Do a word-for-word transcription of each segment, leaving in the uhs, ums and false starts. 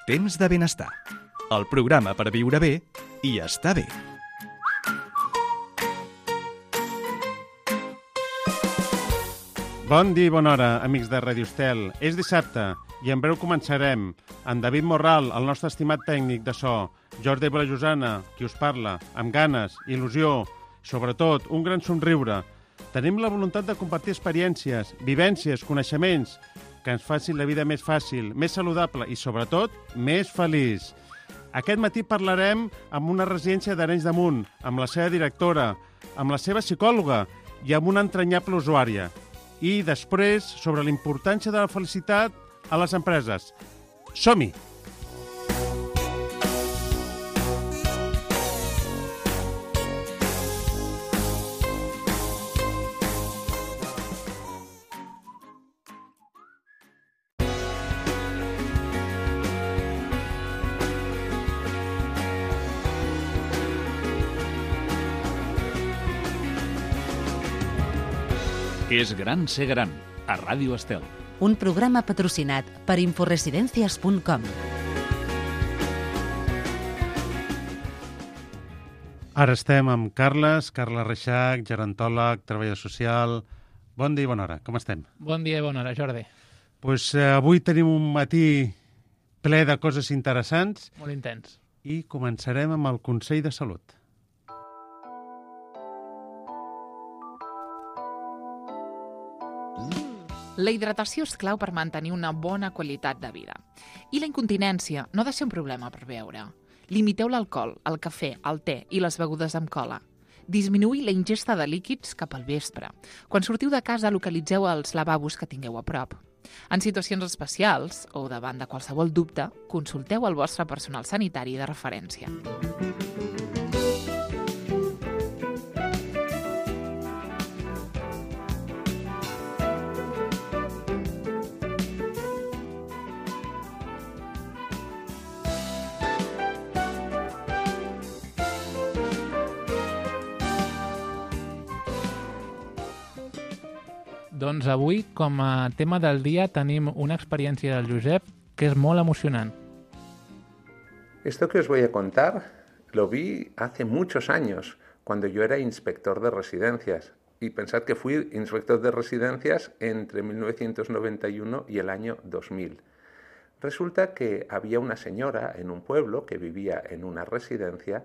Temps de benestar. El programa per viure bé i estar bé. Bon dia i bona hora, amics de Ràdio Estel. És dissabte i en breu començarem amb David Morral, el nostre estimat tècnic de so, Jordi Blajosana, qui us parla, amb ganes, il·lusió, sobretot un gran somriure. Tenim la voluntat de compartir experiències, vivències, coneixements, que ens facin la vida més fàcil, més saludable i, sobretot, més feliç. Aquest matí parlarem amb una residència d'Arenys de Munt, amb la seva directora, amb la seva psicòloga i amb una entranyable usuària. I després, sobre la importància de la felicitat a les empreses. Som-hi! És gran ser gran, a Ràdio Estel. Un programa patrocinat per inforesidencias punt com. Ara estem amb Carles, Carles Reixac, gerontòleg, treballador social. Bon dia i bona hora, com estem? Bon dia i bona hora, Jordi. Pues, eh, avui tenim un matí ple de coses interessants. Molt intens. I començarem amb el Consell de Salut. La hidratació és clau per mantenir una bona qualitat de vida. I la incontinència no ha de ser un problema per beure. Limiteu l'alcohol, el cafè, el te i les begudes amb cola. Disminuïu la ingesta de líquids cap al vespre. Quan sortiu de casa, localitzeu els lavabos que tingueu a prop. En situacions especials, o davant de qualsevol dubte, consulteu el vostre personal sanitari de referència. Doncs avui, com a tema del dia, tenim una experiència del Josep que és molt emocionant. Esto que os voy a contar lo vi hace muchos años, cuando yo era inspector de residencias. Y pensad que fui inspector de residencias entre mil novecientos noventa y uno y el año dos mil. Resulta que había una señora en un pueblo que vivía en una residencia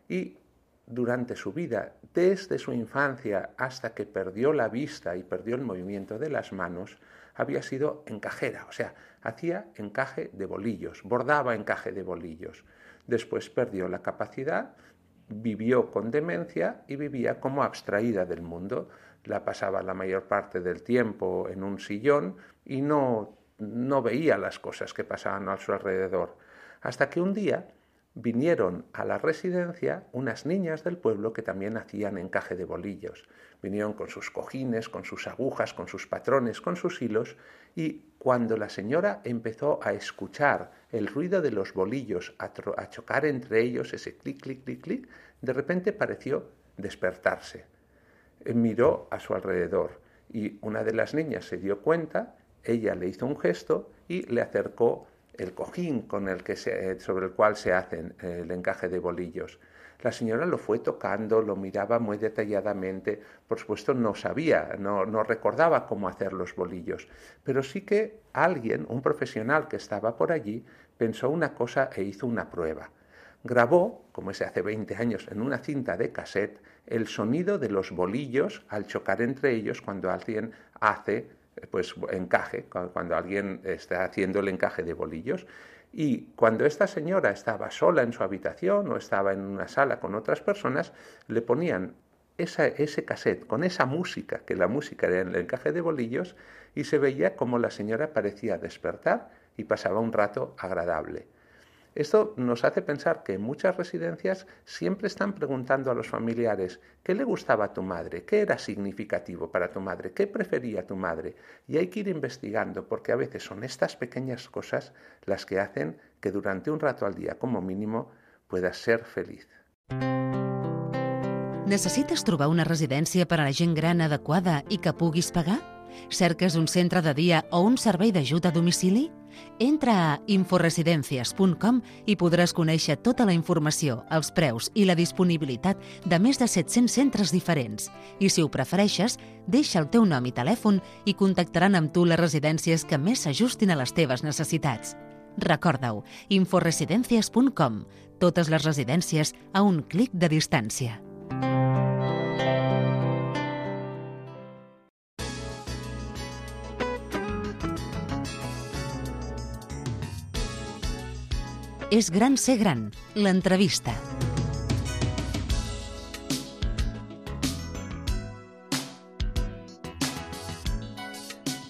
y durante su vida, desde su infancia hasta que perdió la vista y perdió el movimiento de las manos, había sido encajera, o sea, hacía encaje de bolillos, bordaba encaje de bolillos. Después perdió la capacidad, vivió con demencia y vivía como abstraída del mundo. La pasaba la mayor parte del tiempo en un sillón y no, no veía las cosas que pasaban a su alrededor. Hasta que un día vinieron a la residencia unas niñas del pueblo que también hacían encaje de bolillos. Vinieron con sus cojines, con sus agujas, con sus patrones, con sus hilos, y cuando la señora empezó a escuchar el ruido de los bolillos, a, a chocar entre ellos, ese clic, clic, clic, clic, de repente pareció despertarse. Miró a su alrededor y una de las niñas se dio cuenta, ella le hizo un gesto y le acercó el cojín con el que se, sobre el cual se hacen el encaje de bolillos. La señora lo fue tocando, lo miraba muy detalladamente. Por supuesto no sabía, no, no recordaba cómo hacer los bolillos, pero sí que alguien, un profesional que estaba por allí, pensó una cosa e hizo una prueba. Grabó, como se hace veinte años, en una cinta de cassette, el sonido de los bolillos al chocar entre ellos cuando alguien hace pues encaje, cuando alguien está haciendo el encaje de bolillos. Y cuando esta señora estaba sola en su habitación o estaba en una sala con otras personas, le ponían esa, ese cassette con esa música, que la música era el encaje de bolillos, y se veía como la señora parecía despertar y pasaba un rato agradable. Esto nos hace pensar que en muchas residencias siempre están preguntando a los familiares ¿qué le gustaba a tu madre? ¿Qué era significativo para tu madre? ¿Qué prefería tu madre? Y hay que ir investigando porque a veces son estas pequeñas cosas las que hacen que durante un rato al día como mínimo puedas ser feliz. Necessites trobar una residència per a la gent gran adequada i que puguis pagar? Cerques un centre de dia o un servei d'ajut a domicili? Entra a inforesidencias punt com i podràs conèixer tota la informació, els preus i la disponibilitat de més de set-cents centres diferents. I si ho prefereixes, deixa el teu nom i telèfon i contactaran amb tu les residències que més s'ajustin a les teves necessitats. Recorda-ho, inforesidencias punt com. Totes les residències a un clic de distància. És gran ser gran, l'entrevista.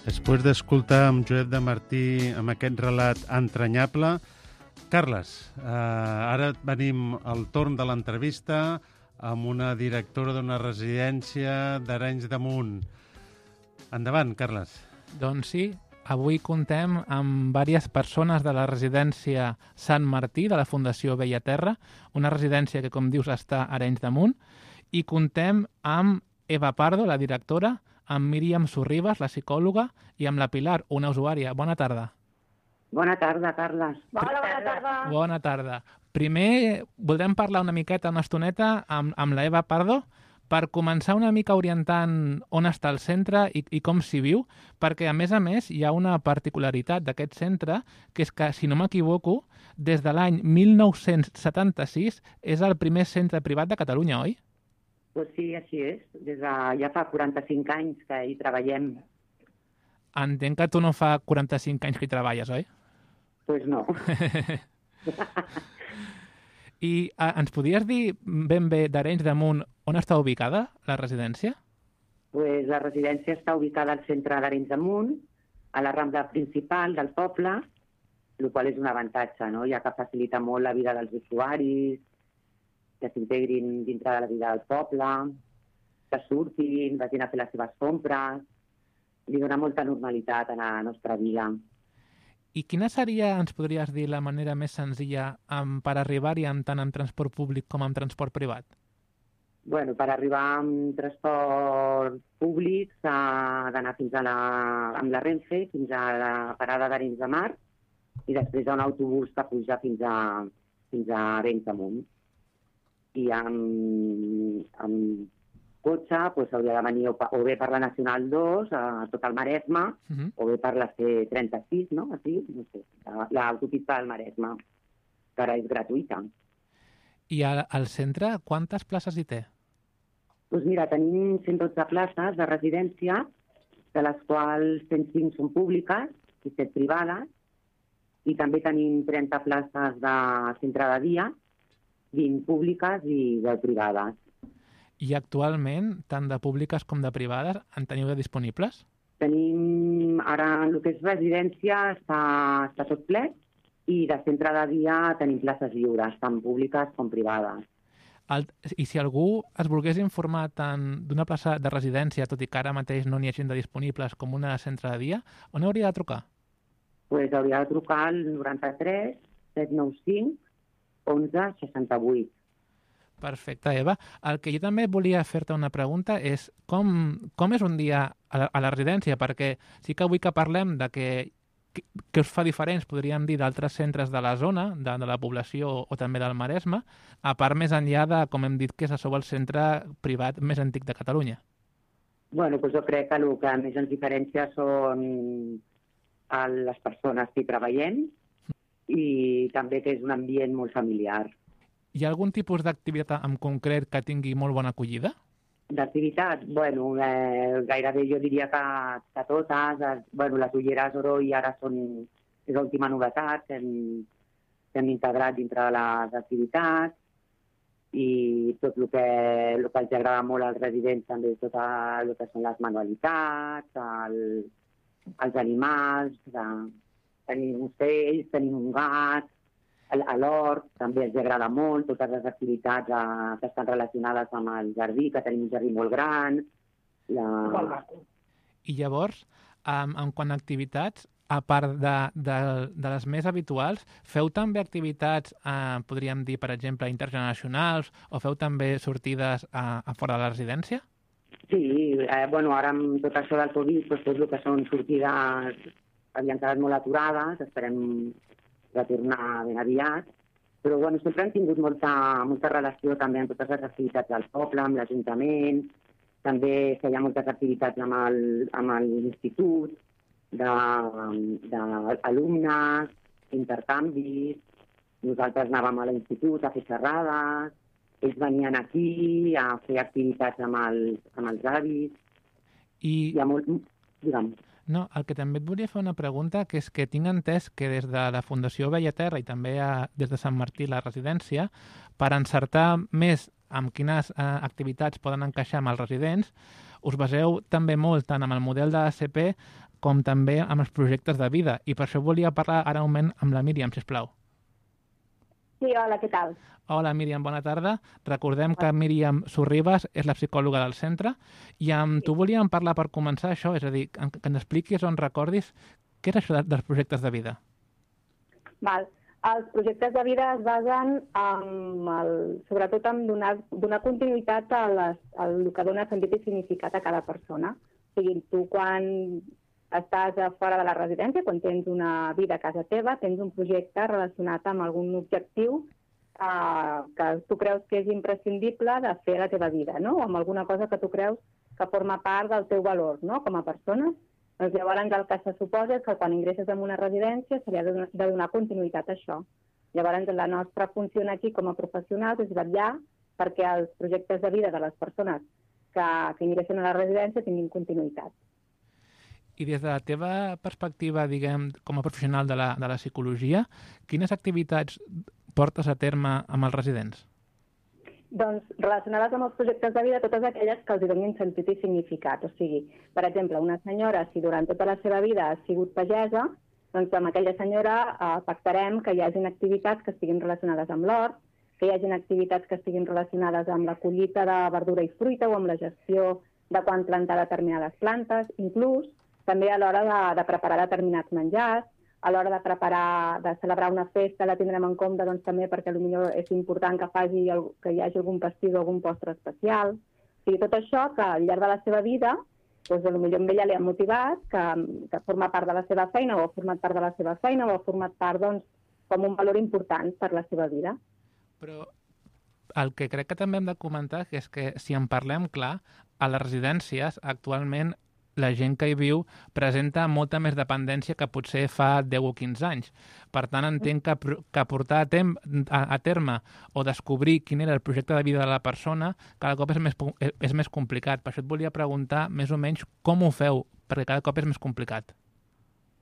Després d'escoltar amb Josep de Martí amb aquest relat entranyable, Carles, eh, ara venim al torn de l'entrevista amb una directora d'una residència d'Arenys de Munt. Endavant, Carles. Doncs sí, avui contem amb diverses persones de la residència Sant Martí de la Fundació Bella Terra, una residència que, com dius, està a Arenys de Munt, i contem amb Eva Pardo, la directora, amb Míriam Sorribas, la psicòloga, i amb la Pilar, una usuària. Bona tarda. Bona tarda, Carles. Bona, bona tarda. Bona tarda. Primer, voldrem parlar una miqueta, una estoneta, amb, amb la Eva Pardo, per començar una mica orientant on està el centre i, i com s'hi viu, perquè, a més a més, hi ha una particularitat d'aquest centre, que és que, si no m'equivoco, des de l'any mil nou-cents setanta-sis és el primer centre privat de Catalunya, oi? Pues sí, així és. Des de, ja fa quaranta-cinc anys que hi treballem. Entenc que tu no fa quaranta-cinc anys que hi treballes, oi? Pues no. I eh, ens podries dir ben bé d'Arenys de Munt on està ubicada la residència? Pues la residència està ubicada al centre d'Arenys de Munt, a la rambla principal del poble, el qual és un avantatge, no? Ja que facilita molt la vida dels usuaris, que s'integrin dintre de la vida del poble, que surtin, vagin a fer les seves compres, li dona molta normalitat a la nostra vida. I quina seria, ens podries dir, la manera més senzilla um, per arribar-hi tant en transport públic com en transport privat? Bueno, per arribar amb transport públic s'ha d'anar fins a la, amb la Renfe, fins a la parada d'Arenys de Mar, i després un autobús que puja fins a, fins a Arenys de Munt. I amb, amb cotxe pues, hauria de venir o, o bé per la Nacional dos, a tot el Maresme, uh-huh. o bé per la C trenta-sis, no? Així, no sé, l'autopista del Maresme, que ara és gratuïta. I al, al centre, quantes places hi té? Doncs mira, tenim cent dotze places de residència, de les quals cent cinc són públiques i set privades, i també tenim trenta places de centre de dia, vint públiques i deu privades. I actualment, tant de públiques com de privades, en teniu de disponibles? Tenim, ara, el que és residència està, està tot ple, i de centre de dia tenim places lliures, tant públiques com privades. El, I si algú es volgués informar tant d'una plaça de residència, tot i que ara mateix no n'hi hagin de disponibles, com una de centre de dia, on hauria de trucar? Pues hauria de trucar al noranta-tres set nou cinc onze seixanta-vuit. Perfecte, Eva. El que jo també volia fer-te una pregunta és com, com és un dia a la, a la residència? Perquè sí que avui que parlem de que, que, que us fa diferents, podríem dir, d'altres centres de la zona, de, de la població o també del Maresme, a part més enllà de, com hem dit, que és a sobre el centre privat més antic de Catalunya. Bueno, doncs jo crec que el que més ens diferencia són les persones que hi treballem, i també que és un ambient molt familiar. Hi ha algun tipus d'activitat en concret que tingui molt bona acollida? D'activitat? Bueno, eh, gairebé jo diria que, que totes. Eh, bueno, les ulleres Oroi ara són, és l'última novetat que hem, que hem integrat dintre de les activitats, i tot el que, el que els agrada molt als residents també, tot el que són les manualitats, el, els animals, de, tenim ocells, tenim un gat, a l'hort també els agrada molt, totes les activitats eh, que estan relacionades amb el jardí, que tenim un jardí molt gran. La... I llavors, um, en quant a activitats, a part de, de, de les més habituals, feu també activitats, eh, podríem dir, per exemple, intergeneracionals, o feu també sortides a, a fora de la residència? Sí, eh, bueno, ara amb tot això del Covid, doncs, tot el que són sortides havien quedat molt aturades, esperem retornar ben aviat, però bueno, sempre hem tingut molta, molta relació també amb totes les activitats del poble, amb l'Ajuntament, també feia moltes activitats amb el, amb l'institut, d'alumnes, intercanvis, nosaltres anàvem a l'institut a fer xerrades, ells venien aquí a fer activitats amb els, amb els avis. I... Hi ha molt... Digue'm. No, el que també et volia fer una pregunta, que és que tinc entès que des de la Fundació Bellaterra i també a, des de Sant Martí, la residència, per encertar més amb quines eh, activitats poden encaixar amb els residents, us baseu també molt tant amb el model de l'A C P com també amb els projectes de vida. I per això volia parlar ara un moment amb la Míriam, sisplau. Sí, hola, què tal? Hola, Míriam, bona tarda. Recordem que Míriam Sorribas és la psicòloga del centre i amb tu volíem parlar per començar això, és a dir, que ens expliquis o ens recordis què és això dels projectes de vida. Val. Els projectes de vida es basen en el, sobretot en donar, donar continuïtat a, les, a el que dona sentit i significat a cada persona. O sigui, tu quan estàs a fora de la residència, quan tens una vida a casa teva, tens un projecte relacionat amb algun objectiu eh, que tu creus que és imprescindible de fer a la teva vida, no? O amb alguna cosa que tu creus que forma part del teu valor, no?, com a persona. Doncs llavors el que se suposa és que quan ingresses en una residència se li ha de donar continuïtat a això. Llavors la nostra funció aquí com a professionals és vetllar perquè els projectes de vida de les persones que, que ingressen a la residència tinguin continuïtat. I des de la teva perspectiva, diguem, com a professional de la, de la psicologia, quines activitats portes a terme amb els residents? Doncs relacionades amb els projectes de vida, totes aquelles que els donin sentit i significat. O sigui, per exemple, una senyora, si durant tota la seva vida ha sigut pagesa, doncs amb aquella senyora eh, pactarem que hi hagin activitats que estiguin relacionades amb l'hort, que hi hagin activitats que estiguin relacionades amb la collita de verdura i fruita o amb la gestió de quan plantar determinades plantes, inclús també a l'hora de, de preparar determinats menjars, a l'hora de preparar, de celebrar una festa, la tindrem en compte doncs, també perquè potser és important que, faci el, que hi hagi algun pastís o algun postre especial. O sigui, tot això que al llarg de la seva vida, doncs, potser amb ella li ha motivat, que, que forma part de la seva feina o ha format part de la seva feina o ha format part doncs, com un valor important per la seva vida. Però el que crec que també hem de comentar és que si en parlem clar, a les residències actualment la gent que hi viu presenta molta més dependència que potser fa deu o quinze anys. Per tant, entenc que, que portar a, tem, a, a terme o descobrir quin era el projecte de vida de la persona cada cop és més, és més complicat. Per això et volia preguntar més o menys com ho feu, perquè cada cop és més complicat.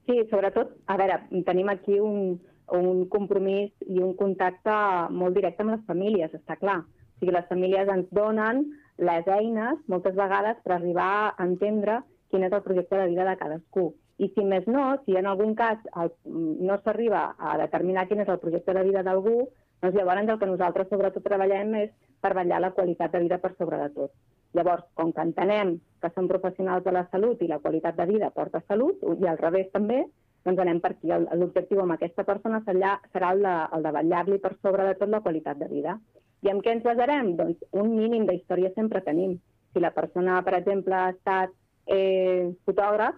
Sí, sobretot, a veure, tenim aquí un, un compromís i un contacte molt directe amb les famílies, està clar. O sigui, les famílies ens donen les eines, moltes vegades, per arribar a entendre quin és el projecte de vida de cadascú. I si més no, si en algun cas el, no s'arriba a determinar quin és el projecte de vida d'algú, doncs llavors el que nosaltres sobretot treballem és per vetllar la qualitat de vida per sobre de tot. Llavors, com que entenem que som professionals de la salut i la qualitat de vida porta salut, i al revés també, doncs anem per aquí. L'objectiu amb aquesta persona serà el de, el de vetllar-li per sobre de tot la qualitat de vida. I en què ens basarem? Doncs un mínim d'història sempre tenim. Si la persona, per exemple, ha estat Eh, fotògraf,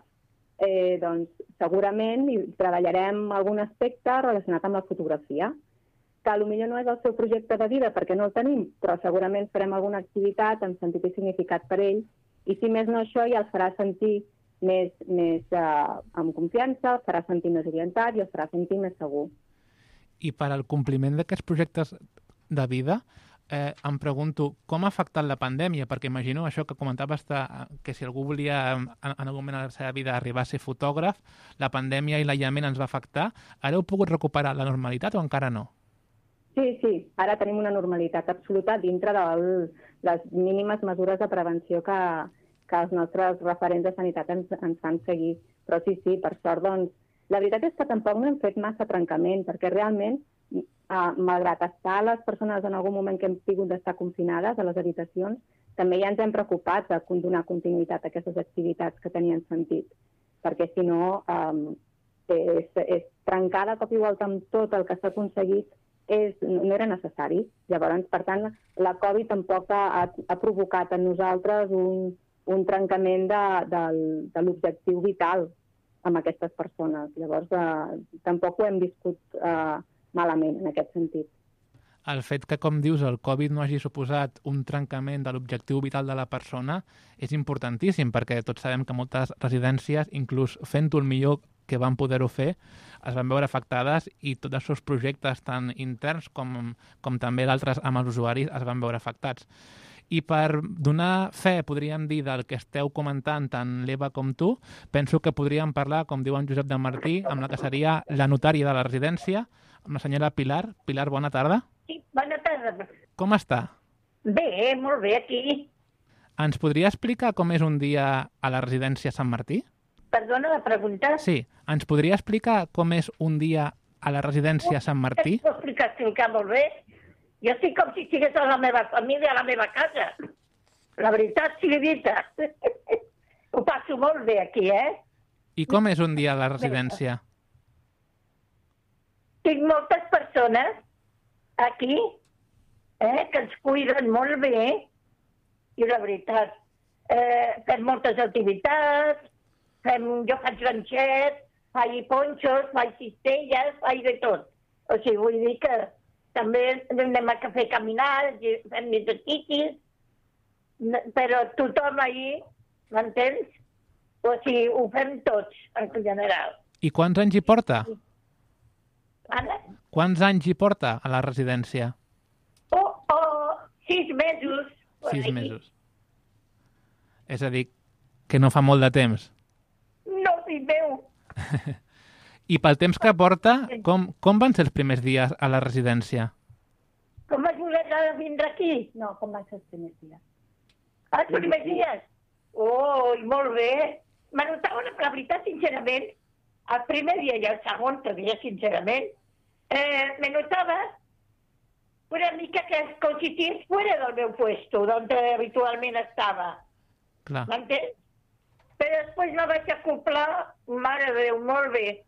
eh, doncs segurament treballarem algun aspecte relacionat amb la fotografia, que potser no és el seu projecte de vida perquè no el tenim, però segurament farem alguna activitat amb sentit i significat per ell, i si més no això ja els farà sentir més, més eh, amb confiança, els farà sentir més orientat i els farà sentir més segur. I per al compliment d'aquests projectes de vida, Eh, em pregunto com ha afectat la pandèmia, perquè imagino això que comentaves que si algú volia en, en algun moment de la seva vida arribar a ser fotògraf, la pandèmia i l'aïllament ens va afectar. Ara heu pogut recuperar la normalitat o encara no? Sí, sí, ara tenim una normalitat absoluta dintre de les mínimes mesures de prevenció que, que els nostres referents de sanitat ens, ens fan seguir. Però sí, sí, per sort, doncs, la veritat és que tampoc no hem fet massa trencament, perquè realment Uh, malgrat estar les persones en algun moment que hem tingut d'estar confinades a les habitacions, també ja ens hem preocupat de donar continuïtat a aquestes activitats que tenien sentit, perquè si no, um, és, és trencar de cop i volta amb tot el que s'ha aconseguit és, no era necessari. Llavors, per tant, la Covid tampoc ha, ha provocat en nosaltres un, un trencament de, de, de l'objectiu vital. amb aquestes persones. Llavors, eh, tampoc ho hem viscut eh, malament en aquest sentit. El fet que, com dius, el Covid no hagi suposat un trencament de l'objectiu vital de la persona és importantíssim, perquè tots sabem que moltes residències, inclús fent-ho el millor que van poder-ho fer, es van veure afectades i tots els seus projectes, tant interns com, com també d'altres amb els usuaris, es van veure afectats. I per donar fe, podríem dir, del que esteu comentant tant l'Eva com tu, penso que podríem parlar, com diu en Josep de Martí, amb la que seria la notària de la residència, amb la senyora Pilar. Pilar, bona tarda. Sí, bona tarda. Com està? Bé, molt bé, aquí. Ens podria explicar com és un dia a la residència Sant Martí? Perdona la pregunta? Sí. Ens podria explicar com és un dia a la residència Sant Martí? Puc explicar, explicar molt bé. Jo estic com si estigués a la meva família, a la meva casa. La veritat sigui dita. Ho passo molt bé aquí, eh? I com és un dia a la residència? Tinc moltes persones aquí, eh, que ens cuiden molt bé, i la veritat, eh, fem moltes activitats, fem, jo faig ganxets, faig ponxos, faig cistelles, faig de tot. O sigui, vull dir que també anem a fer caminars, fem exercicis, però tothom ahir, m'entens? O sigui, ho fem tots, en general. I quants anys hi porta? Anna? Quants anys hi porta a la residència? Oh, oh, sis mesos. Sis mesos. És a dir, que no fa molt de temps. No, fill meu. I pel temps que porta, com, com van ser els primers dies a la residència? Com vas voler vindre aquí? No, com van ser els primers dies? Ah, els primers dies? Oh, molt bé. Me notava, la veritat, sincerament, el primer dia i el segon dia, sincerament, eh, me notava una mica que com si estigués fuera del meu puesto, on habitualment estava. Clar. M'entens? Però després me vaig acoplar, mare de Déu, molt bé.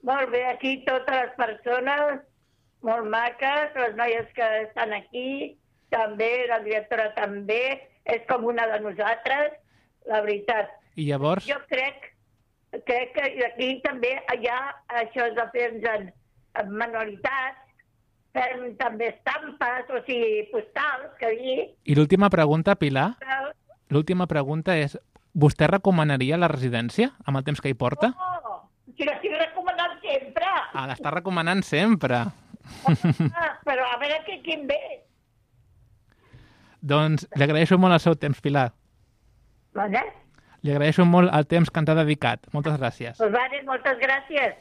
Molt bé, aquí totes les persones, molt maques, les noies que estan aquí, també, la directora també, és com una de nosaltres, la veritat. I llavors? Jo crec, crec que aquí també hi ha això de fer-nos en, en manualitats, fem també estampes, o sigui, postals, que dir... I l'última pregunta, Pilar, l'última pregunta és, vostè recomanaria la residència amb el temps que hi porta? Oh, si l'estic recomanant sempre. Ah, l'està recomanant sempre. Ah, però a veure que quin ve. Doncs li agraeixo molt el seu temps, Pilar. Vale? Li agraeixo molt el temps que ens ha dedicat. Moltes gràcies. Pues vale, moltes gràcies.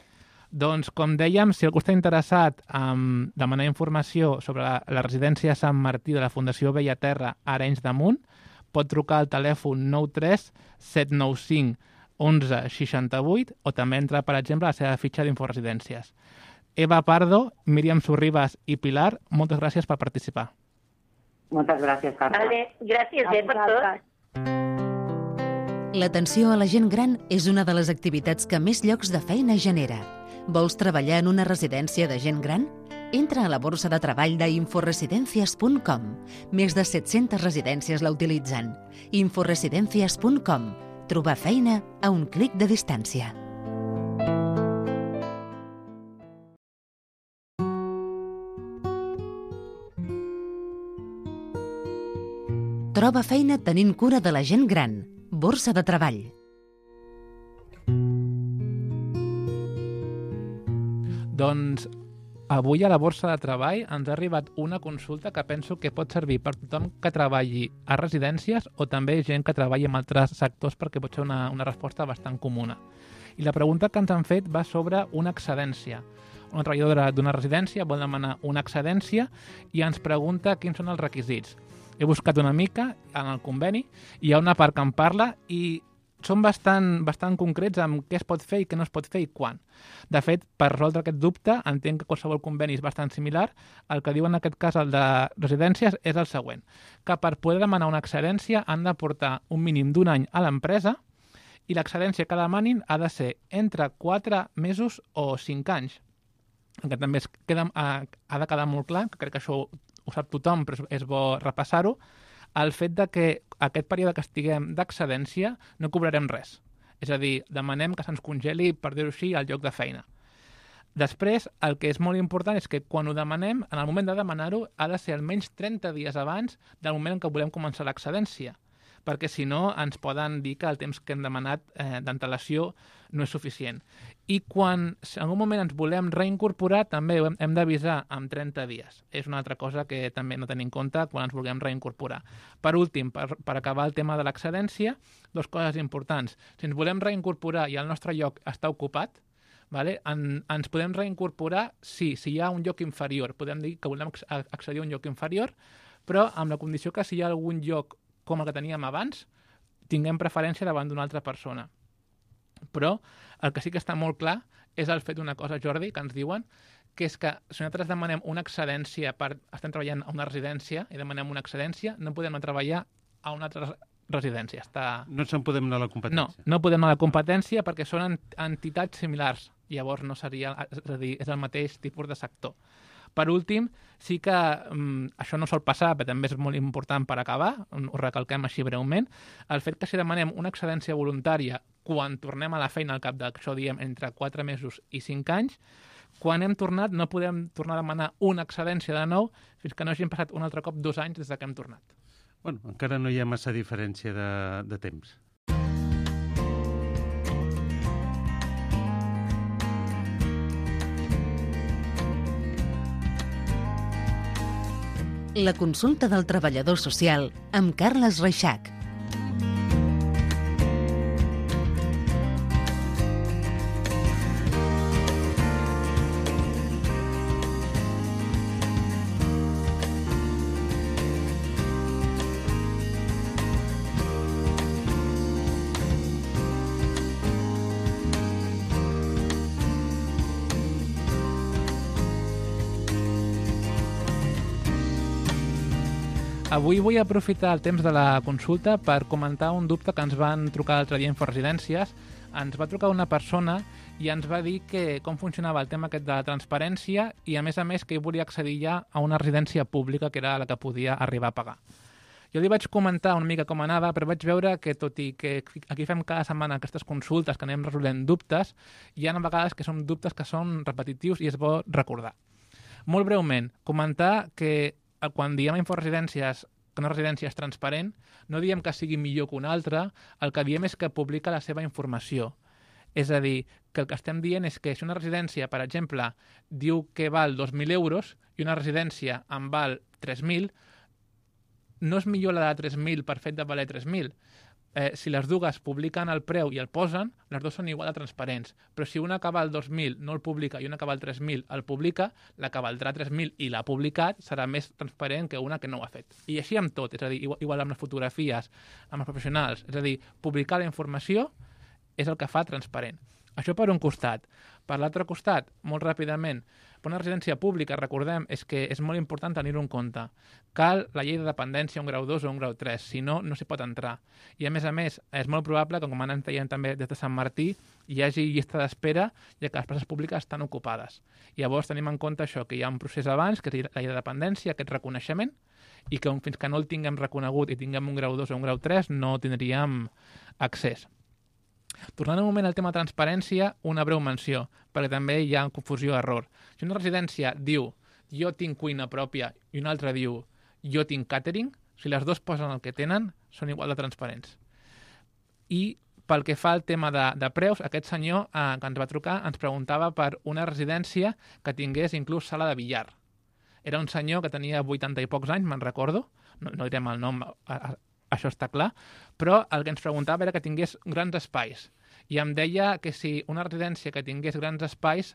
Doncs, com dèiem, si algú està interessat en demanar informació sobre la, la residència Sant Martí de la Fundació Bellaterra a Arenys de Munt, pot trucar al telèfon nou tres set nou cinc onze seixanta vuit o també entrar, per exemple, a la seva fitxa d'Inforesidències. Eva Pardo, Míriam Sorribas i Pilar, moltes gràcies per participar. Moltes gràcies, Carme. Vale, gràcies eh, per tot. L'atenció a la gent gran és una de les activitats que més llocs de feina genera. Vols treballar en una residència de gent gran? Entra a la borsa de treball d'inforesidencias punt com. Més de set-centes residències la utilitzen. inforesidencias punt com. Trobar feina a un clic de distància. Troba feina tenint cura de la gent gran. Borsa de treball. Doncs avui a la Borsa de Treball ens ha arribat una consulta que penso que pot servir per tothom que treballi a residències o també gent que treballi en altres sectors, perquè pot ser una, una resposta bastant comuna. I la pregunta que ens han fet va sobre una excedència. Una treballadora d'una residència vol demanar una excedència i ens pregunta quins són els requisits. He buscat una mica en el conveni, hi ha una part que en parla i són bastant, bastant concrets amb què es pot fer i què no es pot fer i quan. De fet, per resoldre aquest dubte, entenc que qualsevol conveni és bastant similar. El que diu en aquest cas el de residències és el següent, que per poder demanar una excedència han de portar un mínim d'un any a l'empresa i l'excedència que demanin ha de ser entre quatre mesos o cinc anys. Que també es queda, ha de quedar molt clar, que crec que això ho sap tothom, però és bo repassar-ho, el fet de que aquest període que estiguem d'excedència no cobrarem res. És a dir, demanem que se'ns congeli, per dir-ho així, el lloc de feina. Després, el que és molt important és que quan ho demanem, en el moment de demanar-ho, ha de ser almenys trenta dies abans del moment en què volem començar l'excedència, perquè si no ens poden dir que el temps que hem demanat eh, d'antelació no és suficient. I quan en algun moment ens volem reincorporar, també hem, hem d'avisar amb trenta dies. És una altra cosa que també no tenim en compte quan ens vulguem reincorporar. Per últim, per, per acabar el tema de l'excedència, dues coses importants. Si ens volem reincorporar i el nostre lloc està ocupat, vale? En, ens podem reincorporar, sí, si hi ha un lloc inferior. Podem dir que volem accedir a un lloc inferior, però amb la condició que si hi ha algun lloc com el que teníem abans, tinguem preferència davant d'una altra persona. Però el que sí que està molt clar és el fet d'una cosa, Jordi, que ens diuen, que és que si nosaltres demanem una excedència per... Estem treballant a una residència i demanem una excedència, no podem anar a treballar a una altra residència. Està... No se'n podem anar a la competència. No, no podem anar a la competència perquè són entitats similars. Llavors no seria... És a dir, és el mateix tipus de sector. Per últim, sí que um, això no sol passar, però també és molt important per acabar, ho recalquem així breument, el fet que si demanem una excedència voluntària quan tornem a la feina al cap d'això diem entre quatre mesos i cinc anys, quan hem tornat no podem tornar a demanar una excedència de nou fins que no hagin passat un altre cop dos anys des que hem tornat. Bueno, encara no hi ha massa diferència de, de temps. La consulta del treballador social amb Carles Reixac. Avui vull aprofitar el temps de la consulta per comentar un dubte que ens van trucar l'altre dia a Inforesidències. Ens va trucar una persona i ens va dir que com funcionava el tema aquest de la transparència i, a més a més, que ell volia accedir ja a una residència pública que era la que podia arribar a pagar. Jo li vaig comentar una mica com anava, però vaig veure que, tot i que aquí fem cada setmana aquestes consultes que anem resolent dubtes, hi ha vegades que són dubtes que són repetitius i és bo recordar. Molt breument, comentar que quan diem a Inforesidències que una residència és transparent, no diem que sigui millor que una altra, el que diem és que publica la seva informació. És a dir, que el que estem dient és que si una residència, per exemple, diu que val dos mil euros i una residència en val tres mil, no és millor la de tres mil per fet de valer tres mil. Eh, si les dues publiquen el preu i el posen, les dues són igual de transparents. Però si una que val dos mil no el publica i una que val tres mil el publica, la que valdrà tres mil i l'ha publicat serà més transparent que una que no ho ha fet. I així amb tot, és a dir, igual, igual amb les fotografies, amb els professionals. És a dir, publicar la informació és el que fa transparent. Això per un costat. Per l'altre costat, molt ràpidament, per una residència pública, recordem, és que és molt important tenir-ho en compte. Cal la llei de dependència, un grau dos o un grau tres, si no, no s'hi pot entrar. I a més a més, és molt probable que, com anem veient també des de Sant Martí, hi hagi llista d'espera, ja que les places públiques estan ocupades. Llavors tenim en compte això, que hi ha un procés abans, que és la llei de dependència, aquest reconeixement, i que fins que no el tinguem reconegut i tinguem un grau dos o un grau tres, no tindríem accés. Tornant un moment al tema de transparència, una breu menció, perquè també hi ha confusió o error. Si una residència diu jo tinc cuina pròpia i una altra diu jo tinc càtering, si les dues posen el que tenen, són igual de transparents. I pel que fa al tema de, de preus, aquest senyor eh, que ens va trucar ens preguntava per una residència que tingués inclús sala de billar. Era un senyor que tenia vuitanta i pocs anys, me'n recordo, no, no direm el nom, a, a, això està clar, però el que ens preguntava era que tingués grans espais. I em deia que si una residència que tingués grans espais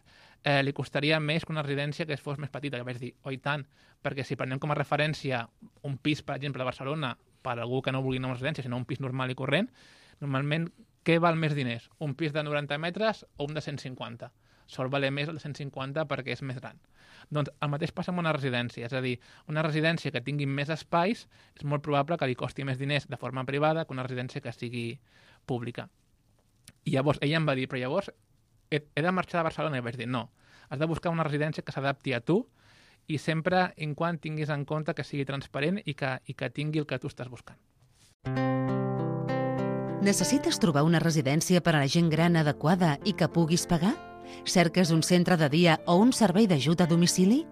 eh, li costaria més que una residència que fos més petita. I vaig dir, oi tant, perquè si prenem com a referència un pis, per exemple, a Barcelona, per algú que no vulgui anar a una residència, sinó un pis normal i corrent, normalment què val més diners? Un pis de noranta metres o un de cent cinquanta? Sol valer més el de cent cinquanta perquè és més gran. Doncs el mateix passa amb una residència, és a dir, una residència que tingui més espais és molt probable que li costi més diners de forma privada que una residència que sigui pública. I llavors ella em va dir, però llavors he, he de marxar de Barcelona? I vaig dir, no, has de buscar una residència que s'adapti a tu i sempre en quan tinguis en compte que sigui transparent i que, i que tingui el que tu estàs buscant. Necessites trobar una residència per a la gent gran adequada i que puguis pagar? Cerques un centre de dia o un servei d'ajut a domicili?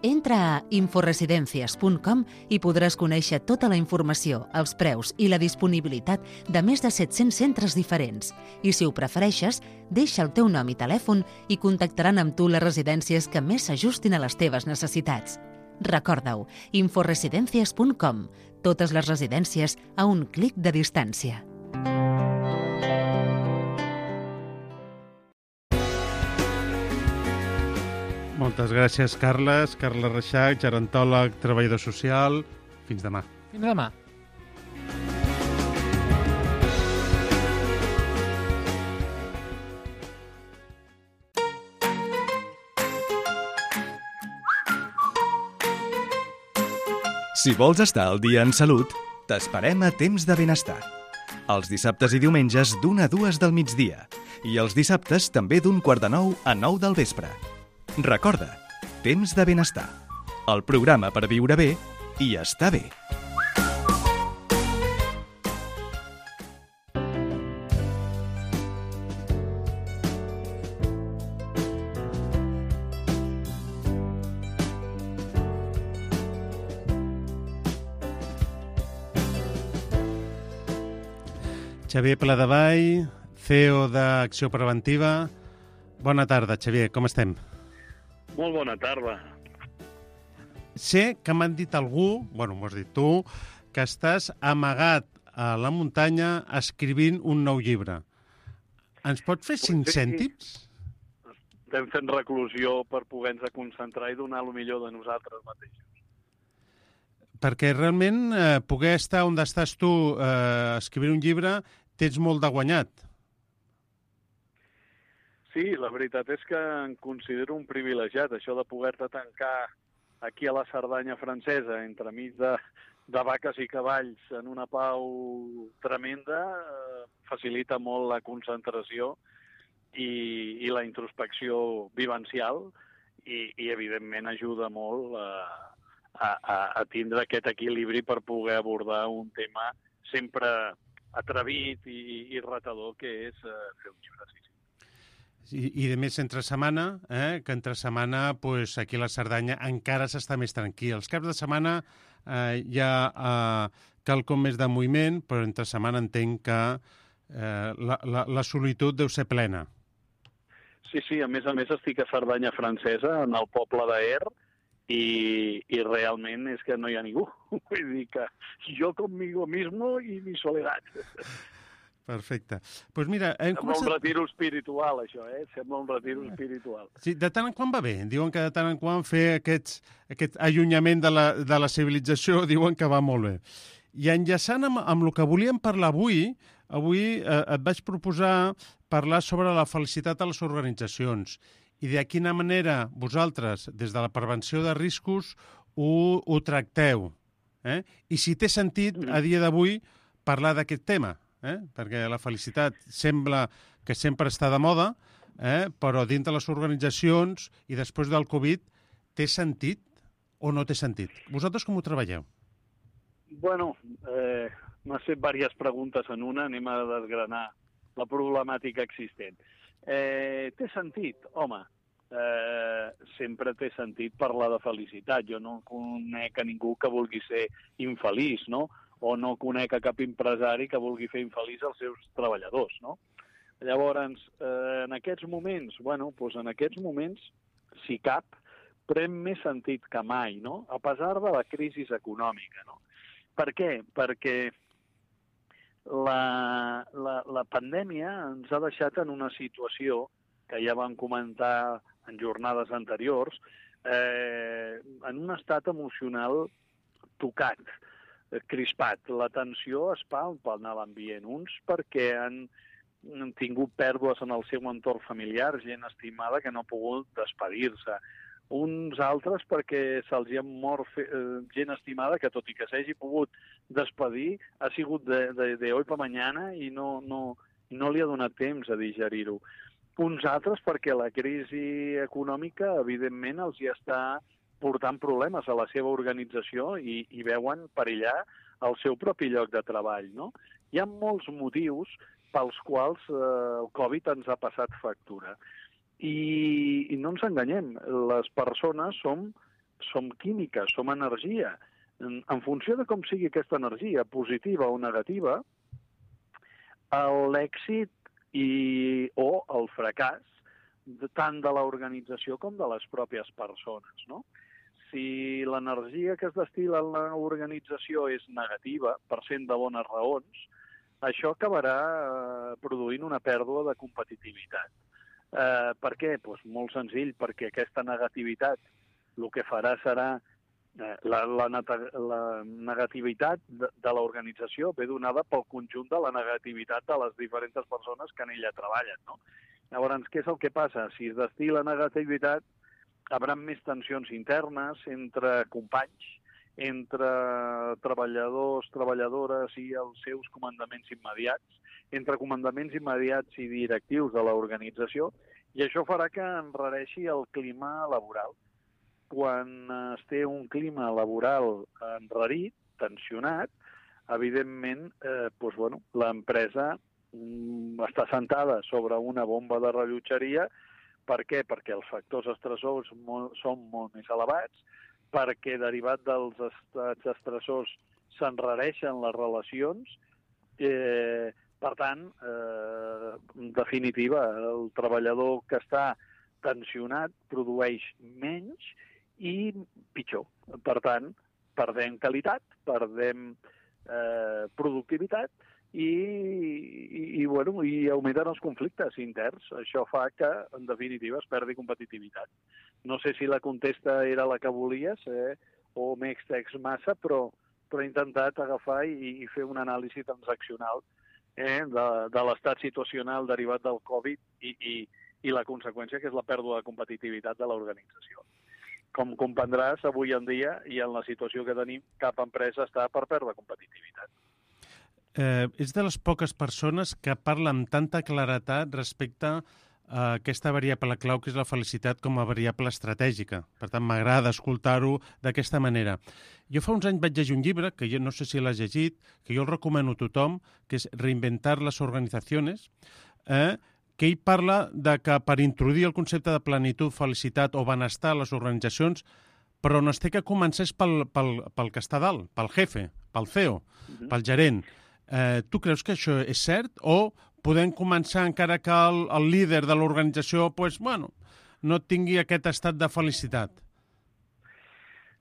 Entra a inforesidencias punt com i podràs conèixer tota la informació, els preus i la disponibilitat de més de set-cents centres diferents. I si ho prefereixes, deixa el teu nom i telèfon i contactaran amb tu les residències que més s'ajustin a les teves necessitats. Recorda-ho, inforesidencias punt com. Totes les residències a un clic de distància. Moltes gràcies, Carles. Carles Reixac, gerontòleg, treballador social. Fins demà. Fins demà. Si vols estar al dia en salut, t'esperem a Temps de Benestar. Els dissabtes i diumenges d'una a dues del migdia i els dissabtes també d'un quart de nou a nou del vespre. Recorda, Temps de Benestar, el programa per viure bé i estar bé. Xavier Pladevall, C E O d'Acció Preventiva. Bona tarda, Xavier, com estem? Molt bona tarda. Sé que m'han dit algú, bueno, m'ho has dit tu, que estàs amagat a la muntanya escrivint un nou llibre. Ens pots fer cinc cèntims? Estem fent reclusió per poder-nos concentrar i donar el millor de nosaltres mateixos. Perquè realment eh, poder estar on estàs tu eh, escrivint un llibre tens molt de guanyat. Sí, la veritat és que em considero un privilegiat, això de poder-te tancar aquí a la Cerdanya francesa, entremig de, de vaques i cavalls en una pau tremenda, eh, facilita molt la concentració i, i la introspecció vivencial i, i evidentment ajuda molt a, a, a tindre aquest equilibri per poder abordar un tema sempre atrevit i, i retador, que és eh, fer un llibre. Sí, sí. I, I de més entre setmana, eh, que entre setmana pues, aquí a la Cerdanya encara s'està més tranquil. Els caps de setmana eh, hi ha eh, quelcom més de moviment, però entre setmana entenc que eh, la, la, la solitud deu ser plena. Sí, sí, a més a més estic a Cerdanya francesa, en el poble d'Aer, i, i realment és que no hi ha ningú. Vull dir que jo conmigo mismo i mi soledat. Perfecte. Pues mira, hem Sembla començat... un retiro espiritual, això, eh? Sembla un retiro espiritual. Sí, de tant en quant va bé. Diuen que de tant en quant fer aquests, aquest allunyament de la, de la civilització diuen que va molt bé. I enllaçant amb, amb el que volíem parlar avui, avui eh, et vaig proposar parlar sobre la felicitat a les organitzacions i de quina manera vosaltres, des de la prevenció de riscos, ho, ho tracteu. Eh? I si té sentit, a dia d'avui, parlar d'aquest tema. Eh? Perquè la felicitat sembla que sempre està de moda, eh? però dins de les organitzacions i després del Covid, té sentit o no té sentit? Vosaltres com ho treballeu? Bueno, eh, m'has fet diverses preguntes en una, anem a desgranar la problemàtica existent. Eh, té sentit? Home, eh, sempre té sentit parlar de felicitat. Jo no conec a ningú que vulgui ser infeliç, no? O no conec a cap empresari que vulgui fer infeliç als seus treballadors, no? Llavors, eh, en aquests moments, bueno, doncs en aquests moments, si cap, pren més sentit que mai, no? A pesar de la crisi econòmica, no? Per què? Perquè la, la, la pandèmia ens ha deixat en una situació que ja vam comentar en jornades anteriors, eh, en un estat emocional tocat, crispat. La tensió es palpa en l'ambient. Uns perquè han, han tingut pèrdues en el seu entorn familiar, gent estimada que no ha pogut despedir-se. Uns altres perquè se'ls ha mort fe, eh, gent estimada que, tot i que s'hagi pogut despedir, ha sigut de, de, de hoy pa mañana i no, no, no li ha donat temps a digerir-ho. Uns altres perquè la crisi econòmica, evidentment, els hi està portant problemes a la seva organització i, i veuen perillar el seu propi lloc de treball, no? Hi ha molts motius pels quals eh, el Covid ens ha passat factura. I, i no ens enganyem, les persones som, som químiques, som energia. En, en funció de com sigui aquesta energia, positiva o negativa, l'èxit i, o el fracàs de, tant de l'organització com de les pròpies persones, no? Si l'energia que es destil·la en l'organització és negativa, per cent de bones raons, això acabarà eh, produint una pèrdua de competitivitat. Eh, per què? Pues molt senzill, perquè aquesta negativitat el que farà serà eh, la, la, la negativitat de, de l'organització ve donada pel conjunt de la negativitat de les diferents persones que en ella treballen, no? Llavors, què és el que passa? Si es destil·la negativitat, hi haurà més tensions internes entre companys, entre treballadors, treballadores i els seus comandaments immediats, entre comandaments immediats i directius de l'organització, i això farà que enrareixi el clima laboral. Quan es té un clima laboral enrarit, tensionat, evidentment, eh, doncs, bueno, l'empresa mm, està sentada sobre una bomba de rellotgeria. Per què? Perquè els factors estressors molt, són molt més elevats, perquè derivat dels estats estressors s'enrareixen les relacions. Eh, per tant, eh, en definitiva, el treballador que està tensionat produeix menys i pitjor. Per tant, perdem qualitat, perdem eh, productivitat i, i, i, bueno, i augmenten els conflictes interns. Això fa que, en definitiva, es perdi competitivitat. No sé si la contesta era la que volies eh, o m'he extès massa, però, però he intentat agafar i, i fer una anàlisi transaccional eh, de, de l'estat situacional derivat del Covid i, i, i la conseqüència, que és la pèrdua de competitivitat de l'organització. Com comprendràs, avui en dia i en la situació que tenim, cap empresa està per perdre competitivitat. Eh, és de les poques persones que parla amb tanta claretat respecte a aquesta variable clau que és la felicitat com a variable estratègica. Per tant, m'agrada escoltar-ho d'aquesta manera. Jo fa uns anys vaig llegir un llibre, que jo no sé si l'has llegit, que jo el recomano a tothom, que és Reinventar les organizaciones, eh, que ell parla de que per introduir el concepte de plenitud, felicitat o benestar a les organitzacions, però no es té que començar és pel, pel, pel que està dalt, pel jefe, pel C E O, uh-huh. pel gerent. Eh, tu creus que això és cert o podem començar encara que el, el líder de l'organització pues, bueno, no tingui aquest estat de felicitat?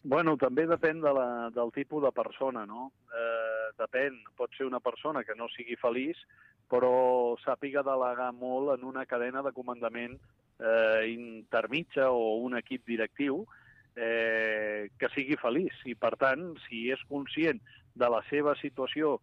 Bueno, també depèn de la, del tipus de persona, no? Eh, depèn, pot ser una persona que no sigui feliç, però sàpiga delegar molt en una cadena de comandament eh, intermitja o un equip directiu eh, que sigui feliç. I, per tant, si és conscient de la seva situació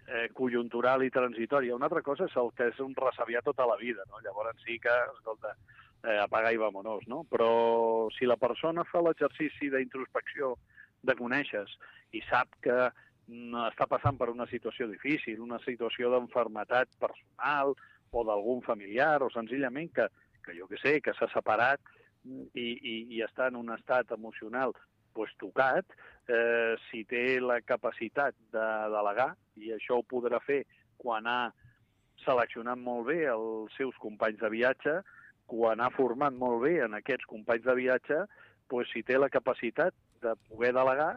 eh, conjuntural i transitòria, una altra cosa és el que és un resabiar tota la vida, no? Llavors sí que, escolta, eh, apaga i vamonos, no? Però si la persona fa l'exercici d'introspecció, de conèixer i sap que està passant per una situació difícil, una situació d'enfermetat personal o d'algun familiar, o senzillament que, que jo què sé, que s'ha separat i, i, i està en un estat emocional pues, tocat, eh, si té la capacitat de delegar, i això ho podrà fer quan ha seleccionat molt bé els seus companys de viatge, quan ha format molt bé en aquests companys de viatge, pues, si té la capacitat de poder delegar,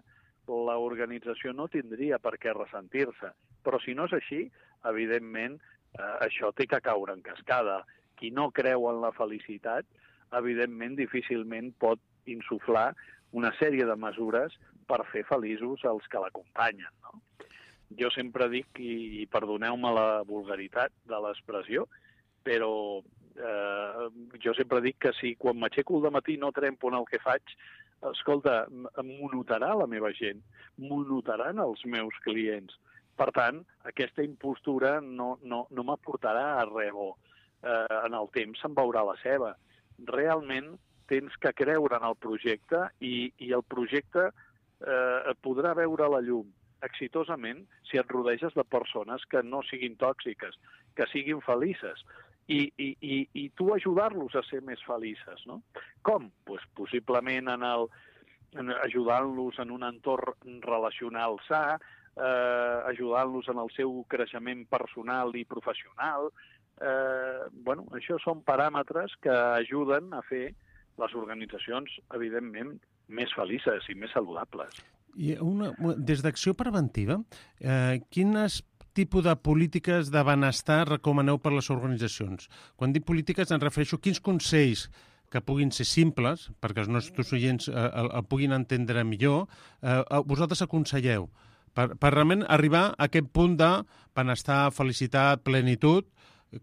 l'organització no tindria per què ressentir-se. Però si no és així, evidentment, eh, això té que caure en cascada. Qui no creu en la felicitat, evidentment, difícilment pot insuflar una sèrie de mesures per fer feliços els que l'acompanyen, no? Jo sempre dic, i, i perdoneu-me la vulgaritat de l'expressió, però eh, jo sempre dic que si quan m'aixeco al matí no trempo en el que faig, escolta, m'ho notarà la meva gent, m'ho notaran els meus clients. Per tant, aquesta impostura no, no, no m'aportarà a res bo. Eh, en el temps se'n veurà la ceba. Realment tens que creure en el projecte i, i el projecte eh, podrà veure la llum exitosament si et rodeges de persones que no siguin tòxiques, que siguin felices. I, i, i, i tu ajudar-los a ser més felices, no? Com? Pues, possiblement en el, en ajudant-los en un entorn relacional sa, eh, ajudant-los en el seu creixement personal i professional. Eh, bueno, això són paràmetres que ajuden a fer les organitzacions, evidentment, més felices i més saludables. I una, des d'Acció Preventiva, eh, quines tipus de polítiques de benestar recomaneu per les organitzacions? Quan dic polítiques em refereixo a quins consells que puguin ser simples, perquè els nostres oients eh, el, el puguin entendre millor, eh, vosaltres aconselleu per, per realment arribar a aquest punt de benestar, felicitat, plenitud,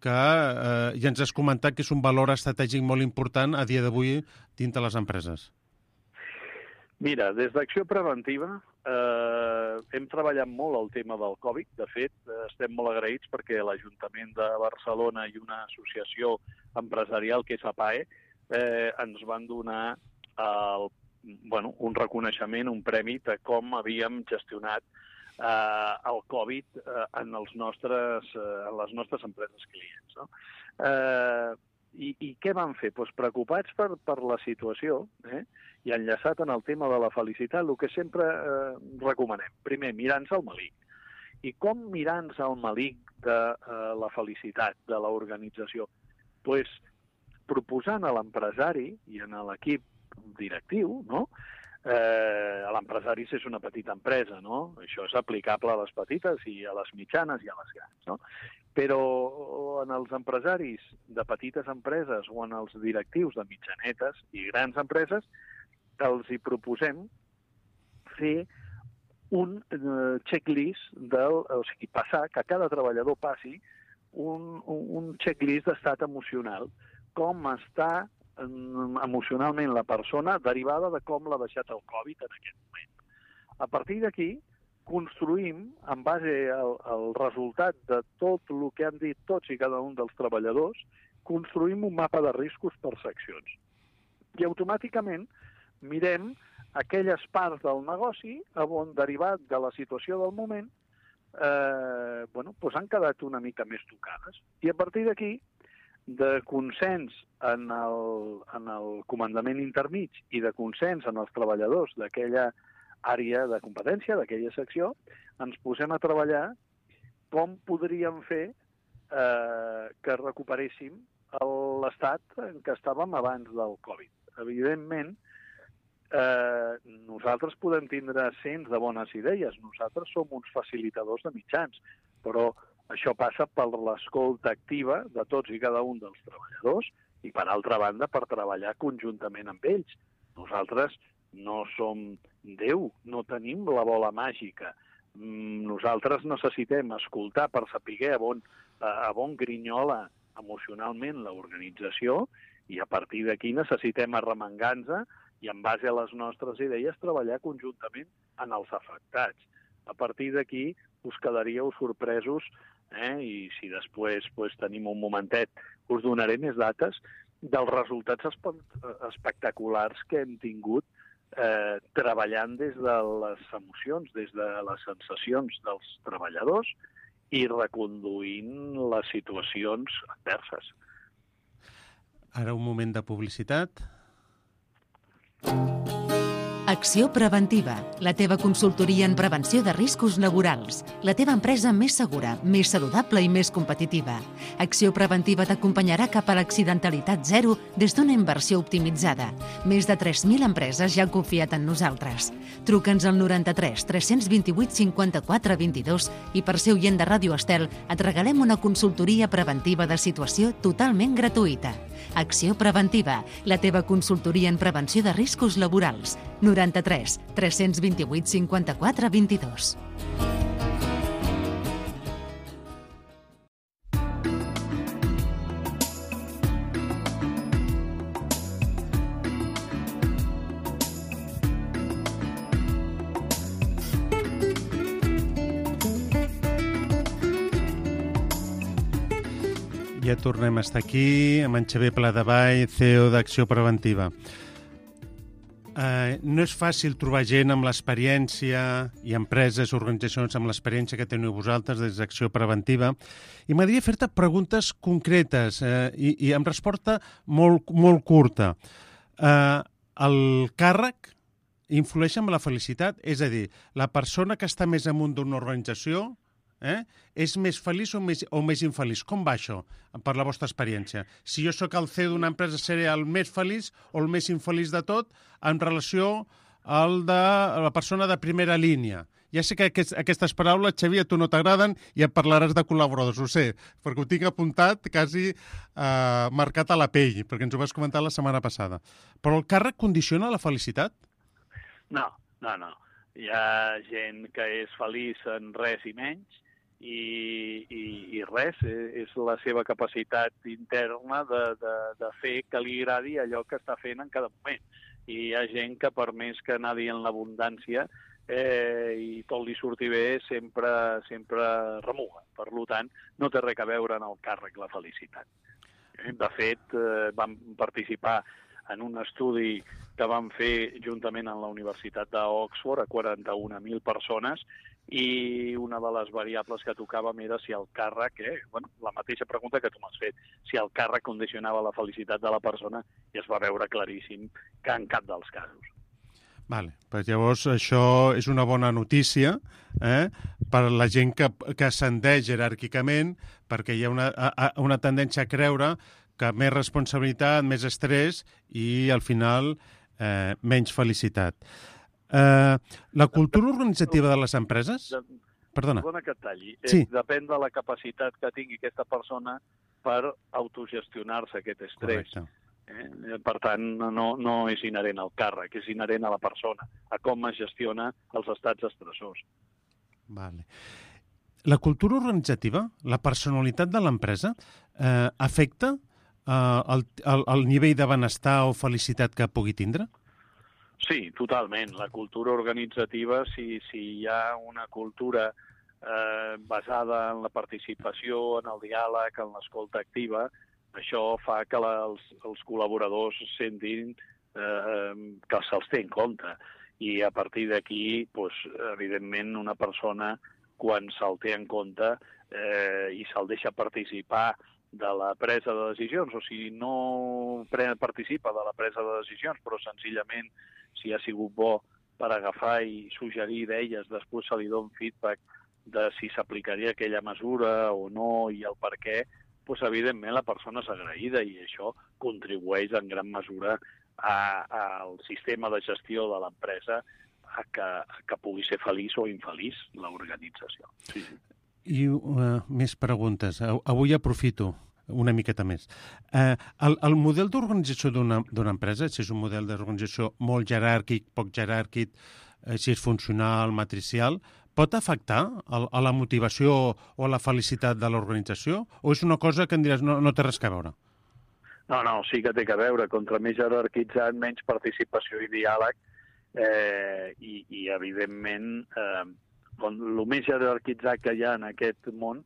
que eh, ja ens has comentat que és un valor estratègic molt important a dia d'avui dins de les empreses. Mira, des d'Acció Preventiva eh, hem treballat molt el tema del Covid. De fet, eh, estem molt agraïts perquè l'Ajuntament de Barcelona i una associació empresarial que és A P A E eh, ens van donar el, bueno, un reconeixement, un premi de com havíem gestionat eh, el Covid eh, en, els nostres, eh, en les nostres empreses clients. No? Eh, i, I què van fer? Pues preocupats per, per la situació, eh? i enllaçat en el tema de la felicitat, el que sempre eh, recomanem. Primer, mirant-se el melic. I com mirant-se el melic de eh, la felicitat de l'organització? Pues, proposant a l'empresari i a l'equip directiu, no? Eh, l'empresari és una petita empresa, no? Això és aplicable a les petites i a les mitjanes i a les grans, no? Però en els empresaris de petites empreses o en els directius de mitjanetes i grans empreses els hi proposem fer un eh, checklist, del, o sigui, passar, que cada treballador passi un, un, un checklist d'estat emocional, com està emocionalment la persona derivada de com l'ha deixat el Covid en aquest moment. A partir d'aquí, construïm, en base al, al resultat de tot el que han dit tots i cada un dels treballadors, construïm un mapa de riscos per seccions. I automàticament mirem aquelles parts del negoci on, derivat de la situació del moment, eh, bueno, doncs han quedat una mica més tocades. I a partir d'aquí, de consens en el, en el comandament intermig i de consens en els treballadors d'aquella àrea de competència, d'aquella secció, ens posem a treballar com podríem fer eh, que recuperéssim l'estat en què estàvem abans del Covid. Evidentment, eh, nosaltres podem tindre cents de bones idees, nosaltres som uns facilitadors de mitjans, però això passa per l'escolta activa de tots i cada un dels treballadors i, per altra banda, per treballar conjuntament amb ells. Nosaltres no som Déu, no tenim la bola màgica. Nosaltres necessitem escoltar per saber a on, a on grinyola emocionalment l'organització i a partir d'aquí necessitem arremangar-nos i en base a les nostres idees treballar conjuntament en els afectats. A partir d'aquí us quedaríeu sorpresos eh? I si després pues, tenim un momentet, us donaré més dates dels resultats espe espectaculars que hem tingut eh, treballant des de les emocions, des de les sensacions dels treballadors i reconduint les situacions adverses. Ara un moment de publicitat. Acció Preventiva, la teva consultoria en prevenció de riscos laborals. La teva empresa més segura, més saludable i més competitiva. Acció Preventiva t'acompanyarà cap a l'accidentalitat zero des d'una inversió optimitzada. Més de tres mil empreses ja han confiat en nosaltres. Truca'ns al noranta-tres tres cents vint-i-vuit cinquanta-quatre vint-i-dos i per ser oient de Ràdio Estel et regalem una consultoria preventiva de situació totalment gratuïta. Acció Preventiva, la teva consultoria en prevenció de riscos laborals. noranta-tres tres cents vint-i-vuit cinquanta-quatre vint-i-dos. Ja tornem a estar aquí amb en Xavier Pladevall, C E O d'Acció Preventiva. Uh, no és fàcil trobar gent amb l'experiència i empreses, organitzacions amb l'experiència que teniu vosaltres des d'Acció Preventiva i m'agradaria fer-te preguntes concretes uh, i, i amb resposta molt, molt curta. Uh, el càrrec influeix en la felicitat? És a dir, la persona que està més amunt d'una organització eh, és més feliç o més, o més infeliç? Com va això, per la vostra experiència? Si jo sóc el C E O d'una empresa, seré el més feliç o el més infeliç de tot en relació al de la persona de primera línia? Ja sé que aquest, aquestes paraules, Xavier, a tu no t'agraden i et parlaràs de col·laboradors, ho sé, perquè ho tinc apuntat quasi eh, marcat a la pell, perquè ens ho vas comentar la setmana passada. Però el càrrec condiciona la felicitat? No, no, no. Hi ha gent que és feliç en res i menys i, i, i res, és la seva capacitat interna de, de, de fer que li agradi allò que està fent en cada moment. I hi ha gent que per més que nadi en l'abundància eh, i tot li surti bé, sempre, sempre remuga. Per tant, no té res a veure en el càrrec la felicitat. De fet, eh, vam participar en un estudi que vam fer juntament amb la Universitat d'Oxford a quaranta-una mil persones i una de les variables que tocàvem era si el càrrec, eh, bueno, la mateixa pregunta que tu m'has fet, si el càrrec condicionava la felicitat de la persona, i es va veure claríssim que en cap dels casos. Vale, pues llavors això és una bona notícia eh, per la gent que, que ascendeix jeràrquicament, perquè hi ha una, a, una tendència a creure que més responsabilitat, més estrès i, al final, eh, menys felicitat. Eh, la cultura organitzativa de les empreses... Perdona. Perdona que et talli. Sí. Eh, depèn de la capacitat que tingui aquesta persona per autogestionar-se aquest estrès. Correcte. Eh? Per tant, no, no és inherent al càrrec, és inherent a la persona, a com es gestiona els estats estressors. Vale. La cultura organitzativa, la personalitat de l'empresa, eh, afecta Uh, el, el, el nivell de benestar o felicitat que pugui tindre? Sí, totalment. La cultura organitzativa, si, si hi ha una cultura eh, basada en la participació, en el diàleg, en l'escolta activa, això fa que la, els, els col·laboradors sentin eh, que se'ls té en compte. I a partir d'aquí, doncs, evidentment, una persona, quan se'l té en compte eh, i se'l deixa participar de la presa de decisions, o si no participa de la presa de decisions, però senzillament si ha sigut bo per agafar i suggerir idees, després se li dona feedback de si s'aplicaria aquella mesura o no i el per què, doncs evidentment la persona és agraïda i això contribueix en gran mesura al sistema de gestió de l'empresa a que, a que pugui ser feliç o infeliç l'organització. Sí, sí. I uh, més preguntes. Avui aprofito una miqueta més. Uh, el, el model d'organització d'una empresa, si és un model d'organització molt jeràrquic, poc jeràrquic, uh, si és funcional, matricial, pot afectar a, a la motivació o a la felicitat de l'organització? O és una cosa que em diràs no, no té res a veure? No, no, sí que té a veure. Contra més jerarquitzat, menys participació i diàleg, eh, i, i evidentment... Eh, el més jerarquitzat que hi ha en aquest món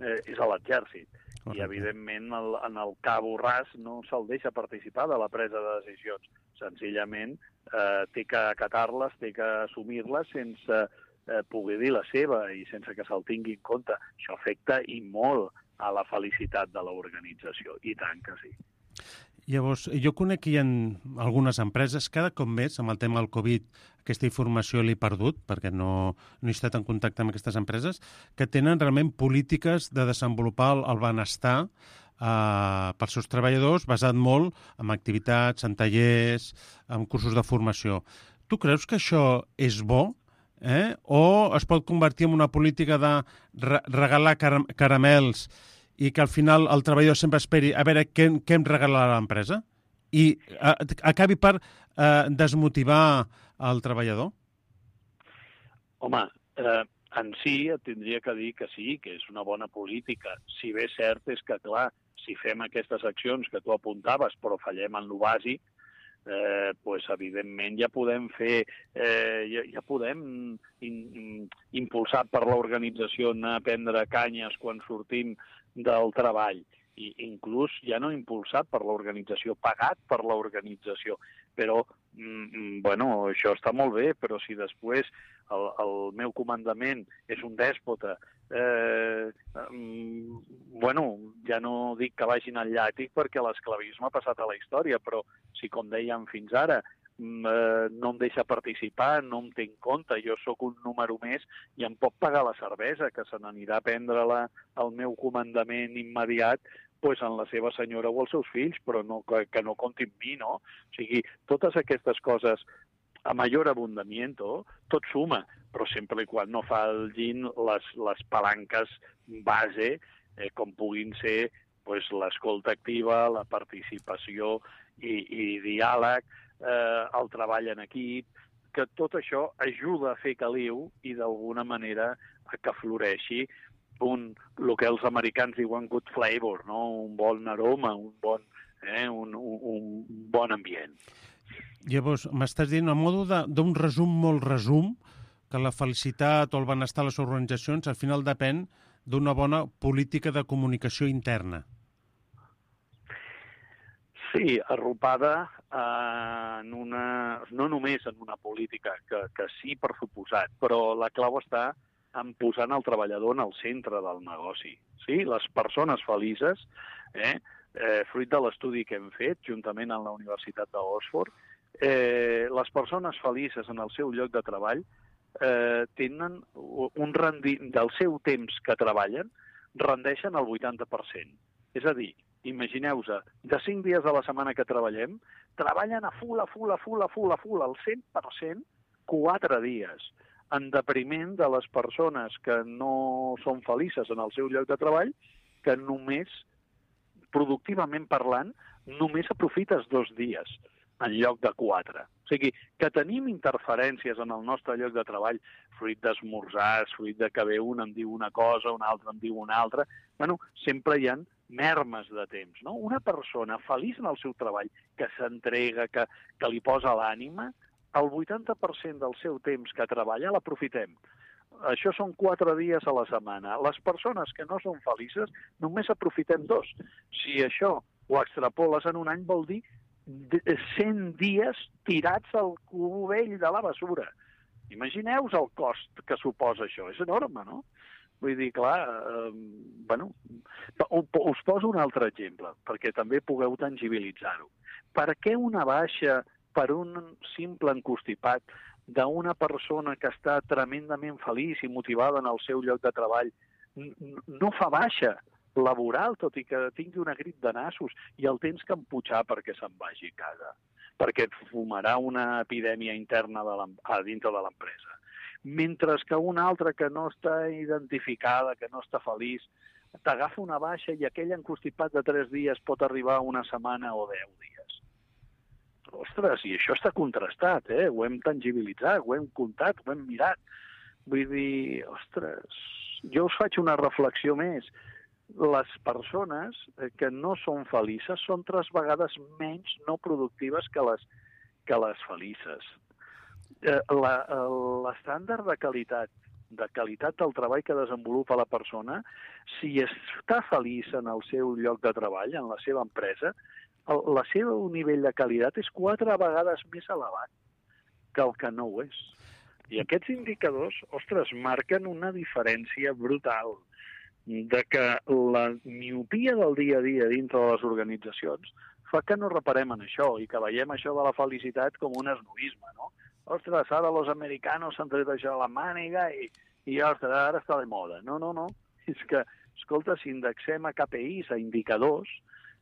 eh, és a l'exèrcit. Correcte. I, evidentment, el, en el cabo ras no se'l deixa participar de la presa de decisions. Senzillament, eh, té que acatar-les, té que assumir-les sense eh, poder dir la seva i sense que se'l tingui en compte. Això afecta i molt a la felicitat de l'organització. I tant que sí. Llavors, jo conec que hi ha algunes empreses, cada cop més, amb el tema del Covid, aquesta informació l'he perdut, perquè no, no he estat en contacte amb aquestes empreses, que tenen realment polítiques de desenvolupar el, el benestar eh, pels seus treballadors, basat molt en activitats, en tallers, en cursos de formació. Tu creus que això és bo? Eh? O es pot convertir en una política de re regalar car caramels i que al final el treballador sempre esperi a veure què, què em regalarà l'empresa i a, acabi per eh, desmotivar el treballador? Home, eh, en si et tindria que dir que sí, que és una bona política. Si bé cert és que, clar, si fem aquestes accions que tu apuntaves però fallem en lo bàsic, eh, pues, evidentment ja podem fer, eh, ja, ja podem in, impulsar per l'organització anar a prendre canyes quan sortim del treball, i inclús ja no impulsat per l'organització, pagat per l'organització. Però, mm, bueno, això està molt bé, però si després el, el meu comandament és un dèspota, eh, mm, bueno, ja no dic que vagin al llàtic perquè l'esclavisme ha passat a la història, però si, com dèiem fins ara, eh, no em deixa participar, no em té en compte, jo sóc un número més i em pot pagar la cervesa, que se n'anirà a prendre-la al meu comandament immediat pues, en la seva senyora o els seus fills, però no, que, que no compti amb mi, no? O sigui, totes aquestes coses a major abundamiento, tot suma, però sempre i quan no falgin les, les palanques base, eh, com puguin ser pues, l'escolta activa, la participació i, i diàleg, eh, el treball en equip, que tot això ajuda a fer caliu i d'alguna manera a que floreixi un, el que els americans diuen good flavor, no? Un bon aroma, un bon, eh, un, un, un bon ambient. Llavors, m'estàs dient, a modo d'un resum molt resum, que la felicitat o el benestar a les organitzacions al final depèn d'una bona política de comunicació interna. Sí, arropada eh, en una, no només en una política, que, que sí, per suposat, però la clau està en posant el treballador en el centre del negoci. Sí? Les persones felices, eh, eh, fruit de l'estudi que hem fet, juntament amb la Universitat d'Oxford, eh, les persones felices en el seu lloc de treball eh, tenen un rendi... del seu temps que treballen, rendeixen el vuitanta per cent. És a dir, imagineu-vos, de cinc dies a la setmana que treballem, treballen a full, a full, a full, a full, a full, al cent per cent, quatre dies, en depriment de les persones que no són felices en el seu lloc de treball, que només, productivament parlant, només aprofites dos dies en lloc de quatre. O sigui, que tenim interferències en el nostre lloc de treball, fruit d'esmorzars, fruit de que ve un em diu una cosa, un altre em diu una altra, bueno, sempre hi ha mermes de temps, no? Una persona feliç en el seu treball, que s'entrega, que, que li posa l'ànima, el vuitanta per cent del seu temps que treballa l'aprofitem. Això són quatre dies a la setmana. Les persones que no són felices només aprofitem dos. Si això ho extrapoles en un any vol dir cent dies tirats al cubell de la basura. Imagineu-vos el cost que suposa això. És enorme, no? Vull dir, clar, eh, bueno, us poso un altre exemple, perquè també pugueu tangibilitzar-ho. Per què una baixa per un simple encostipat d'una persona que està tremendament feliç i motivada en el seu lloc de treball no fa baixa laboral, tot i que tingui una grip de nassos i el tens que empujar perquè se'n vagi a casa, perquè et fumarà una epidèmia interna de a dintre de l'empresa. Mentre que una altra que no està identificada, que no està feliç, t'agafa una baixa i aquell encostipat de tres dies pot arribar a una setmana o deu dies. Ostres, i això està contrastat, eh? Ho hem tangibilitzat, ho hem comptat, ho hem mirat. Vull dir, ostres, jo us faig una reflexió més. Les persones que no són felices són tres vegades menys no productives que les, que les felices. L'estàndard de qualitat, de qualitat del treball que desenvolupa la persona, si està feliç en el seu lloc de treball, en la seva empresa, el, el seu nivell de qualitat és quatre vegades més elevat que el que no ho és. I aquests indicadors, ostres, marquen una diferència brutal de que la miopia del dia a dia dintre de les organitzacions fa que no reparem en això i que veiem això de la felicitat com un esnovisme, no? Ostres, ara els americanos s'han tret això a la màniga i, i ostres, ara està de moda. No, no, no. És que, escolta, si indexem a K P Is, a indicadors,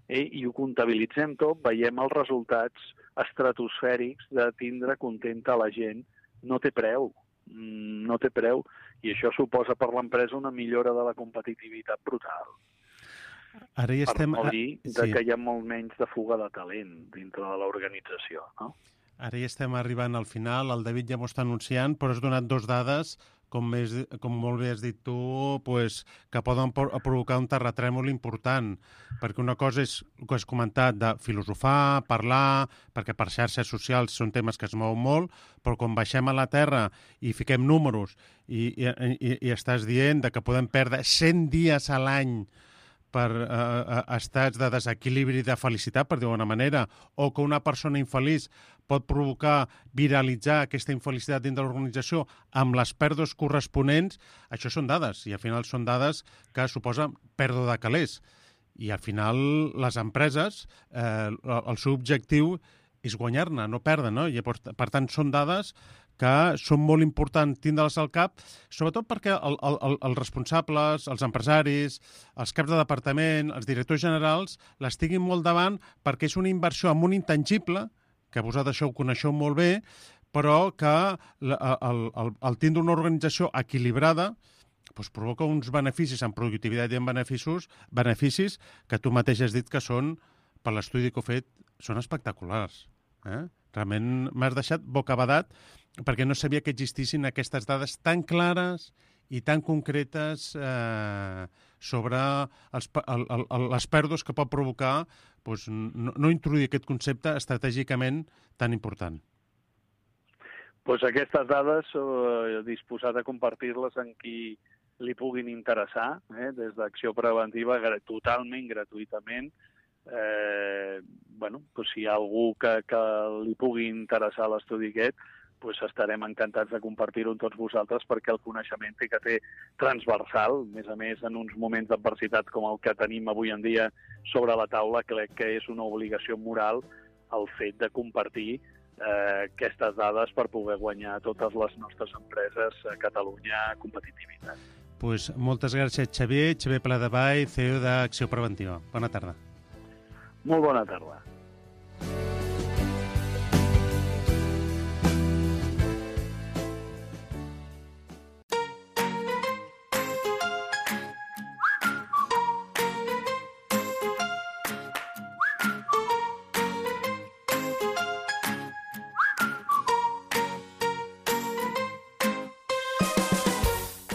eh, i ho comptabilitzem tot, veiem els resultats estratosfèrics de tindre contenta la gent. No té preu, no té preu, i això suposa per l'empresa una millora de la competitivitat brutal. Ara ja estem... Per no dir de sí. que hi ha molt menys de fuga de talent dintre de l'organització, no? Ara ja estem arribant al final, el David ja m'ho està anunciant, però has donat dos dades, com, més, com molt bé has dit tu, pues, que poden provocar un terratrèmol important, perquè una cosa és el que has comentat de filosofar, parlar, perquè per xarxes socials són temes que es mouen molt, però quan baixem a la terra i fiquem números i, i, i, i estàs dient de que podem perdre cent dies a l'any per eh, estats de desequilibri de felicitat, per dir-ho d'una manera, o que una persona infeliç pot provocar, viralitzar aquesta infelicitat dins de l'organització amb les pèrdues corresponents, això són dades, i al final són dades que suposen pèrdua de calés. I al final les empreses, eh, el seu objectiu és guanyar-ne, no perdre, no? I, per tant, són dades que són molt importants tindre-les al cap, sobretot perquè el, el, el, els responsables, els empresaris, els caps de departament, els directors generals, les tinguin molt davant perquè és una inversió amb un intangible, que vosaltres això ho coneixeu molt bé, però que el, el, el, el tindre una organització equilibrada doncs provoca uns beneficis en productivitat i en beneficis, beneficis que tu mateix has dit que són, per l'estudi que he fet, són espectaculars. Eh? Realment m'has deixat bocabadat perquè no sabia que existissin aquestes dades tan clares i tan concretes eh, sobre els, el, el, les pèrdues que pot provocar doncs, no, no introduir aquest concepte estratègicament tan important. Pues aquestes dades eh, disposat a compartir-les amb qui li puguin interessar, eh, des d'Acció Preventiva, totalment gratuïtament. Eh, bueno, pues si hi ha algú que, que li pugui interessar l'estudi aquest, pues estarem encantats de compartir-ho amb tots vosaltres perquè el coneixement que té transversal, a més a més en uns moments d'adversitat com el que tenim avui en dia sobre la taula, crec que és una obligació moral el fet de compartir eh, aquestes dades per poder guanyar totes les nostres empreses a Catalunya competitivitat. Pues moltes gràcies, Xavier. Xavier Pladevall, C E O d'Acció Preventiva. Bona tarda. Molt bona tarda.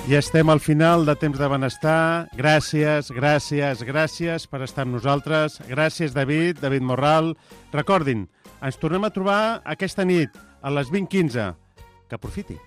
Ja estem al final de Temps de Benestar. Gràcies, gràcies, gràcies per estar amb nosaltres. Gràcies, David, David Morral. Recordin, ens tornem a trobar aquesta nit a les vint quinze. Que aprofiti.